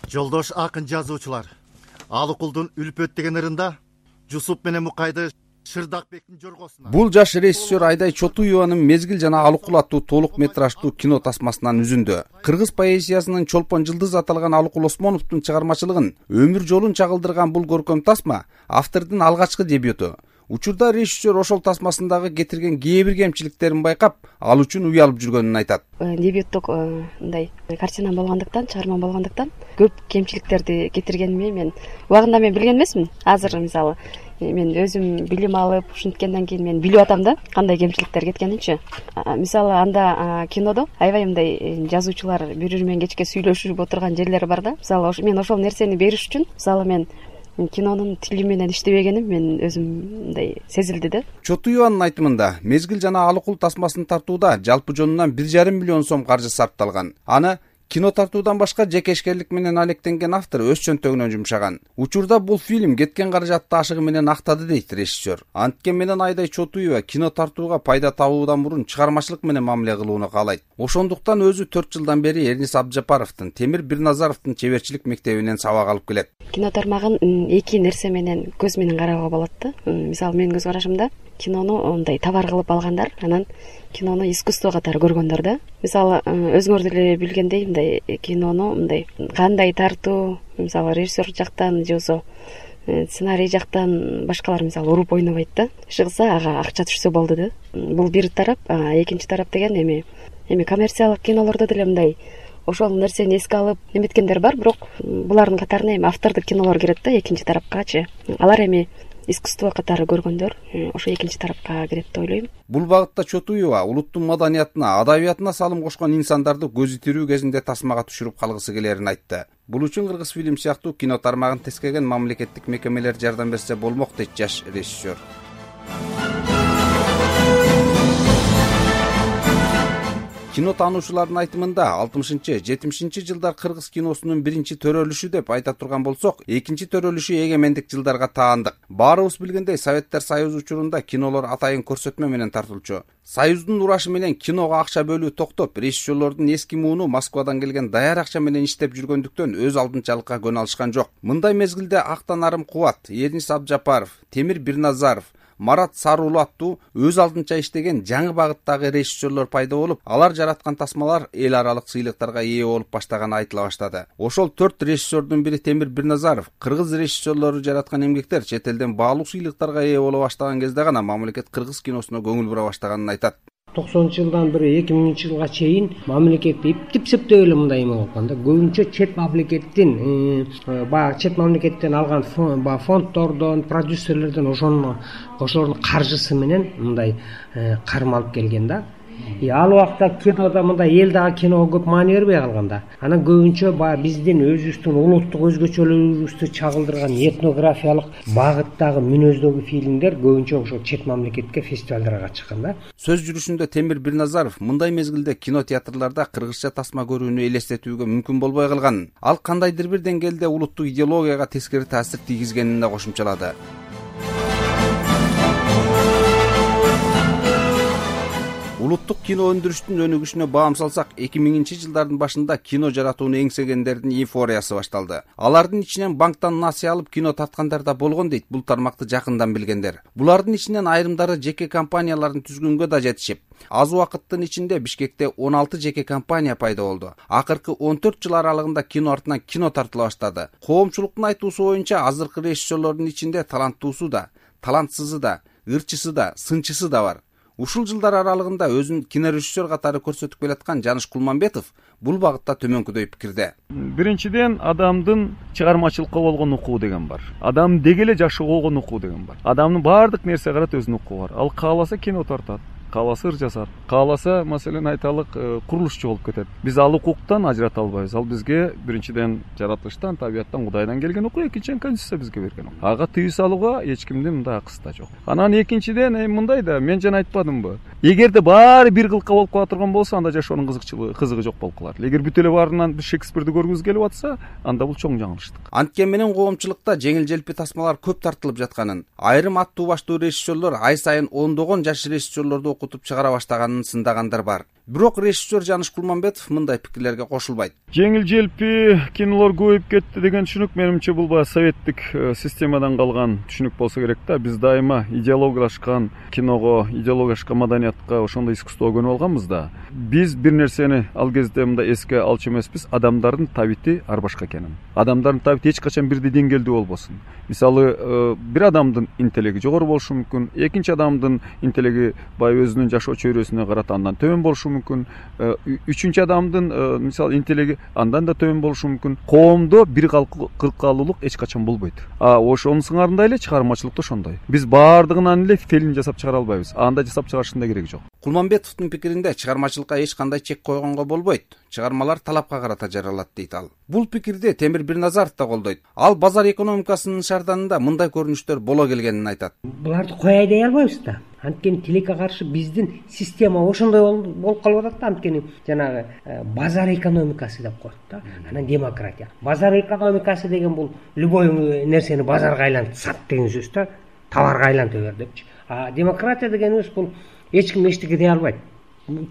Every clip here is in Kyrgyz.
Жолдош акын жазуучулар. Алыкулдун Үлпөт деген ырында Жусуп менен Мукайды Шырдакбектин жоргосуна. Бул жаш режиссер Айдай Чотуеванын Мезгил жана Алыкул аттуу толук метраждуу кино тасмасынан үзүндү. Кыргыз поэзиясынын чолпон жылдыз аталган Алыкул Осмоновдун чыгармачылыгын өмүр жолун чагылдырган бул көркөм тасма автордун алгачкы дебюту. Учурда режиссер ошол тасмасындагы кетирген кээ бир кемчиликтерин байкап, ал үчүн уялып жүргөнүн айтат. Дебюттук мындай картина болгондуктан, чыгарма болгондуктан көп кемчиликтерди кетиргениме мен убагында билген эмесмин. Азыр мисалы мен өзүм билим алып, ушинткенден кийин мен билип атам да, кандай кемчиликтер кеткенинчи. Мисалы анда кинодо аябай мындай жазуучулар бири-бири менен кечке сүйлөшүп отурган жерлери бар да. Мисалы мен ошол нерсени бериш үчүн, мисалы мен кинонун тили менен иштебегеним мен өзүм мындай сезилди да. Чотуеванын айтымында Мезгил жана Алыкул тасмасын тартууда жалпы жонунан 1,5 миллион сом каржы сарпталган. Аны кино тартуудан башка жеке ишкерлик менен алектенген автор өз чөнтөгүнө жумшаган. Учурда бул фильм кеткен каражатты ашыгы менен актады дейт режиссер. Анткени менен Айдай Чотуева кино тартууга пайда табуудан мурун чыгармачылык менен мамиле кылууну каалайт. Ошондуктан өзү 4 жылдан бери Эрнис Абджапаровдун, Темир Бирназаровдун чеберчилик мектебинен сабак алып келет. Кино тармагын эки нерсе менен, көз менен кароого болот да. Мисалы менин көз карашымда кинону мындай товар кылып алгандар, анан кинону искусство катары көргөндөр да. Мисалы өзүңөр деле билгендей, мындай кинону мындай кандай тартуу, мисалы режиссер жактан же болбосо сценарий жактан башкалар мисалы уруп ойнобойт да. Чыгса ага акча түшсө болду да. Бул бир тарап, экинчи тарап деген эми коммерциялык кинолордо деле мындай ошол нерсени эске алып неметкендер бар, бирок булардын катарына эми автордук кинолор кирет да, экинчи тарапкачы. Алар эми искусство катары көргөндөр ошо экинчи тарапка кирет деп ойлойм. Бул багытта Чотуева улуттун маданиятына, адабиятына салым кошкон инсандарды көзү тирүү кезинде тасмага түшүрүп калгысы келерин айтты. Бул үчүн Кыргыз фильм сыяктуу кино тармагын тескеген мамлекеттик мекемелер жардам берсе болмок дейт жаш режиссер. Кино таануучулардын айтымында 60-70 жылдар кыргыз киносунун биринчи төрөлүшү деп айта турган болсок, экинчи төрөлүшү эгемендик жылдарга таандык. Баарыбыз билгендей, Советтер Союзу учурунда кинолор атайын көрсөтмө менен тартылчу. Союздун урашы менен киного акча бөлүү токтоп, режиссерлордун эски мууну Москвадан келген даяр акча менен иштеп жүргөндүктөн өз алдынчалыкка көнө алышкан жок. Мындай мезгилде Актан Арым Кубат, Эрнис Абджапаров, Темир Бирназаров, Марат Сарулу аттуу өз алдынча иштеген жаңы багыттагы режиссерлор пайда болуп, алар жараткан тасмалар эл аралык сыйлыктарга ээ болуп баштаганы айтыла баштады. Ошол 4 режиссердун бири Темир Бирназаров, кыргыз режиссерлору жараткан эмгектер чет элден баалуу сыйлыктарга ээ боло баштаган кезде гана мамлекет кыргыз киносуна көңүл бура баштаганын айтат. 90-жылдан бери 2000-жылга чейин мамлекет иптеп эле мындай эме болгон да. Көбүнчө чет мамлекеттен алган фонддордон, продюсерлерден ошонун каржысы менен мындай кармалып келген да. Ал убакта кинода мындай эл дагы киного көп маани бербей калган да. Анан көбүнчө биздин өзүбүздүн улуттук өзгөчөлүгүбүздү чагылдырган этнографиялык багыттагы мүнөздөгү фильмдер көбүнчө ошо чет мамлекетке, фестивалдарга чыккан да. Сөз жүрүшүндө Темир Бирназаров мындай мезгилде кино театрларда кыргызча тасма көрүүнү элестетүүгө мүмкүн болбой калганын, ал кандайдыр бир деңгээлде улуттук идеологияга тескери таасир тийгизгенин да кошумчалады. Улуттук кино өндүрүштүн өнүгүшүнө баам салсак, 2000-жылдардын башында кино жаратууну эңсегендердин эйфориясы башталды. Алардын ичинен банктан насыя алып кино тарткандар да болгон дейт бул тармакты жакындан билгендер. Булардын ичинен айрымдары жеке компанияларын түзгөнгө да жетишип, аз убакыттын ичинде Бишкекте 16 жеке компания пайда болду. Акыркы 14 жыл аралыгында кино артынан кино тартыла баштады. Коомчулуктун айтуусу боюнча азыркы режиссерлордун ичинде таланттуусу да, талантсызы да, ырчысы да, сынчысы да бар. Ушул жылдар аралыгында өзүн кинорежиссер катары көрсөтүп келаткан Жаныш Кулманбетов бул багытта төмөнкүдөй пикирде. Биринчиден, адамдын чыгармачылыкка болгон укугу деген бар. Адам деги эле жакшы болгон укугу деген бар. Адамдын баардык нерсе карат өзүнүн укугу бар. Ал кааласа кино тартат, кааласа ыр жасар, кааласа маселен айталык курулушчу болуп кетет. Биз ал укуктан ажырата албайбыз. Ал бизге биринчиден жаратылыштан, табияттан, Кудайдан келген укук, экинчиден Конституция бизге берген укук. Ага тыюу салууга эч кимдин мындай акысы да жок. Анан экинчиден мындай да, мен жана айтпадымбы? Эгерде баары бир кылка болуп кала турган болсо, анда жашоонун кызыгы жок болуп калат. Эгер бүт эле баарынан Шекспирди көргүбүз келип атса, анда бул чоң жаңылыштык. Анткени менен коомчулукта жеңил-желпи тасмалар көп тартылып жатканын, айрым аттуу баштуу режиссерлор ай сайын ондогон жаш режиссерлорду окутуп чыгара баштаганын сындагандар бар. Бирок режиссер Жаныш Кулманбетов мындай пикирлерге кошулбайт. Жеңил желпи кинолор көбөйүп кетти деген түшүнүк менимче бул баягы советтик системадан калган түшүнүк болсо керек да. Биз дайыма идеологиялашкан киного, идеологиялашкан маданиятка, ошондой искусствого көнүп алганбыз да. Биз бир нерсени ал кезде мындай эске алчу эмеспиз, адамдардын табити ар башка экенин. Адамдардын табити эч качан бирдей деңгээлдүү болбосун. Мисалы, бир адамдын интеллекти жогору болушу мүмкүн, экинчи адамдын интеллекти баягы өзүнүн жашоо чөйрөсүнө карата андан төмөн болушу мүмкүн, үчүнчү адамдын мисалы интеллекти андан да төмөн болушу мүмкүн. Коомдо бир кыркалуулук эч качан болбойт. Ошонун сыңарындай эле чыгармачылыкта ошондой. Биз баардыгынан эле фильм жасап чыгара албайбыз. Анда жасап чыгарыштын да кереги жок. Кулманбетовдун пикиринде чыгармачылыкка эч кандай чек койгонго болбойт. Чыгармалар талапка карата жаралат дейт ал. Бул пикирди Темир Бирназаров да колдойт. Ал базар экономикасынын шаарданында мындай көрүнүштөр боло келгенин айтат. Буларды кой айдай албайбыз да. Анткени тилекке каршы биздин система ошондой болуп калып атат да. Анткени жанагы базар экономикасы деп коет да. Анан демократия. Базар экономикасы деген бул любой нерсени базарга айлантып сат деген сөз да. Товарга айлантып бер депчи. А демократия дегенибиз бул эч ким эчтеке дей албайт.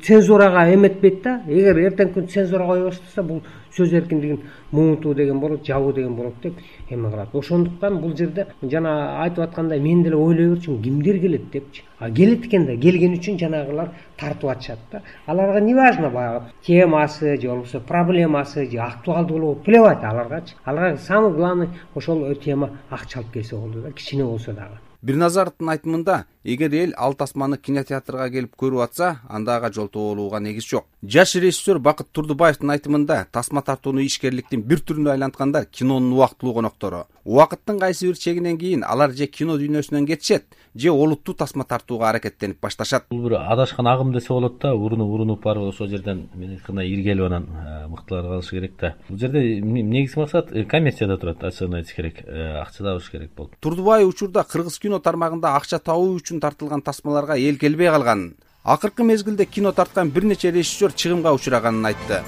Цензурага эметпейт да. Эгер эртең күн цензура кое баштаса бул сөз эркиндигин муунтуу деген болот, жабуу деген болот деп эме кылат. Ошондуктан бул жерде жана айтып аткандай мен деле ойлой берчүмүн, кимдер келет депчи. Келет экен да, келген үчүн жанагылар тартып атышат да. Аларга не важно баягы темасы же болбосо проблемасы же актуалдуулугу плевать аларгачы. Аларга самый главный ошол тема акча алып келсе болду да, кичине болсо дагы. Бирназаровдун айтымында, эгер эл ал тасманы кинотеатрга келип көрүп атса, анда ага жолтоо болууга негиз жок. Жаш режиссер Бакыт Турдубаевдин айтымында, тасма тартууну ишкерликтин бир түрүнө айланткандар кинонун убактылуу коноктору. Убакыттын кайсы бир чегинен кийин алар же кино дүйнөсүнөн кетишет, же олуттуу тасма тартууга аракеттенип башташат. Бул бир адашкан агым десе болот да, урунуп барып ошол жерден мен айткандай иргелип анан мыктылар калышы керек да. Бул жерде негизги максат коммерцияда турат, ачыгын айтыш керек, акча табыш керек болот. Турдубаев учурда кыргыз кино тармагында акча табуу үчүн тартылган тасмаларга эл келбей калганын, акыркы мезгилде кино тарткан бир нече режиссер чыгымга учураганын айтты.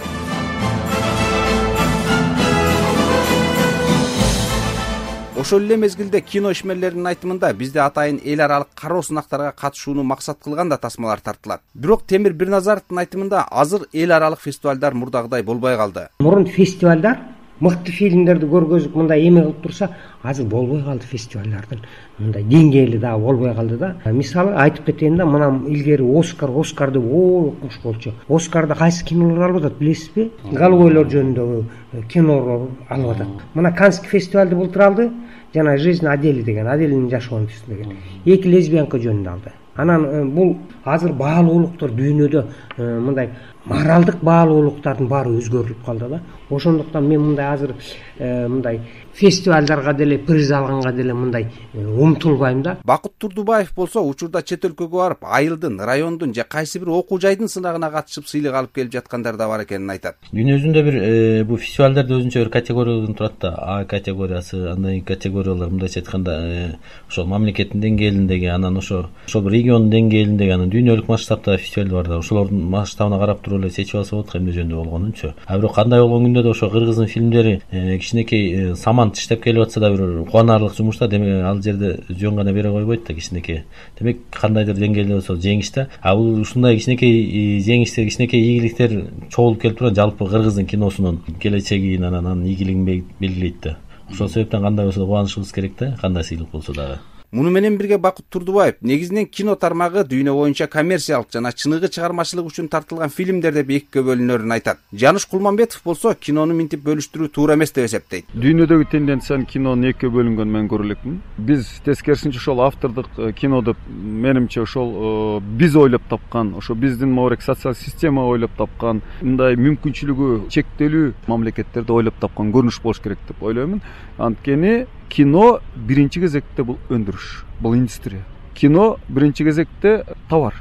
Ошол эле мезгилде кино ишмерлеринин айтымында бизде атайын эл аралык кароо сынактарга катышууну максат кылган да тасмалар тартылат. Бирок Темир Бирназаровдун айтымында азыр эл аралык фестивалдар мурдагыдай болбой калды. Мурун фестивалдар мыкты фильмдерди көргөзүп мындай эме кылып турса, азыр болбой калды фестивалдардын. Мындай деңгээли дагы болбой калды да. Мисалы айтып кетейин да, мына илгери Оскар деп окмуш болчу. Оскарда кайсы кинолор алып атат билесизби? Голубойлор жөнүндөгү кинолор алып атат. Мына Каннский фестивалды былтыр алды. Жана жизнь Адели деген, Аделинин жашоонун деген. 2 лесбиянка жөнүндө алды. Анан бул азыр баалуулуктар дүйнөдө мындай моралдык баалуулуктардын баары өзгөрүлүп калды да. Ошондуктан мен мындай азыр мындай фестивалдарга деле приз алганга деле мындай умтулбайм да. Бакыт Турдубаев болсо учурда чет өлкөгө барып, айылдын, райондун же кайсы бир окуу жайдын сынагына катышып сыйлык алып келип жүаткандар да бар экенин айтат. Дүйнө жүзүндө бир бул фестивалдарда өзүнчө бир категориядан турат да. А категориясы, андан категориялар мындайча айтканда ошол мамлекеттин деңгээлиндеги, анан ошол бир регион деңгээлиндеги, анан дүйнөлүк масштабта фестивал бар да. Ошолордун масштабына карап туруп эле чечип алса болот эмне жөнүндө болгонунчу. А бирок кандай болгон күндө да ошо кыргыздын фильмдери кичинекей саман тиштеп келип атса да бир кубанарлык жумуш да. Демек ал жерде жөн гана бере койбойт да кичинекей. Демек кандайдыр деңгээлде болсо жеңиш да. А бул ушундай кичинекей жеңиштер, кичинекей ийгиликтер чогулуп келип турат жалпы кыргыздын киносунун келечегин, анан ийгилигин белгилейт да. Ошол себептен кандай болсо да кубанышыбыз керек да, кандай сыйлык болсо дагы. Муну менен бирге Бакыт Турдубаев негизинен кино тармагы дүйнө боюнча коммерциялык жана чыныгы чыгармачылык үчүн тартылган фильмдер деп экиге бөлүнөрүн айтат. Жаныш Кулманбетов болсо кинону минтип бөлүштүрүү туура эмес деп эсептейт. Дүйнөдөгү тенденциянын кинонун экиге бөлүнгөнүн мен көрө элекмин. Биз тескерисинче ошол автордук кино деп менимче ошол биз ойлоп тапкан, ошо биздин моорек социалдык система ойлоп тапкан, мындай мүмкүнчүлүгү чектелүү мамлекеттерде ойлоп тапкан көрүнүш болуш керек деп ойлоймун. Анткени кино биринчи кезекте бул өндүрүш, бул индустрия. Кино биринчи кезекте товар.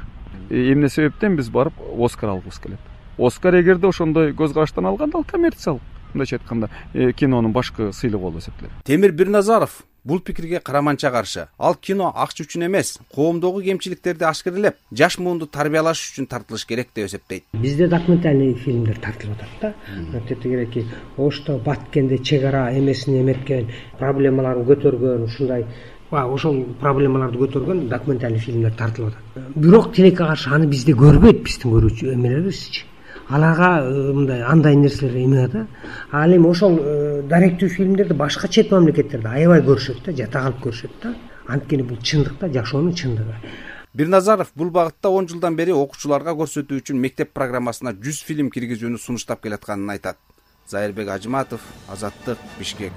Эмне себептен биз барып Оскар алгыбыз келет. Оскар эгерде ошондой көз караштан алганда ал коммерциялык, мындайча айтканда кинонун башкы сыйлыгы болуп эсептелет. Темир Бирназаров бул пикирге караманча каршы. Ал кино акча үчүн эмес, коомдогу кемчиликтерди ашкерелеп, жаш муунду тарбиялаш үчүн тартылыш керек деп эсептейт. Бизде документальный фильмдер тартылып атат да. Тете кереки, ошто Баткенде чек ара эмесин эметкен, проблемаларын көтөргөн, ушундай ошол проблемаларды көтөргөн документальный фильмдер тартылып атат. Бирок тилекке каршы аны бизде көрбөйт, биздин көрүүчү эмелерибизчи. Аларга мындай андай нерселер эме да. Ал эми ошол даректүү фильмдерди башка чет мамлекеттерде аябай көрүшөт да, жата калып көрүшөт да. Анткени бул чындык да, жашоонун чындыгы. Бирназаров бул багытта 10 жылдан бери окуучуларга көрсөтүү үчүн мектеп программасына 100 фильм киргизүүнү сунуштап келатканын айтат. Зайырбек Ажыматов, Азаттык, Бишкек.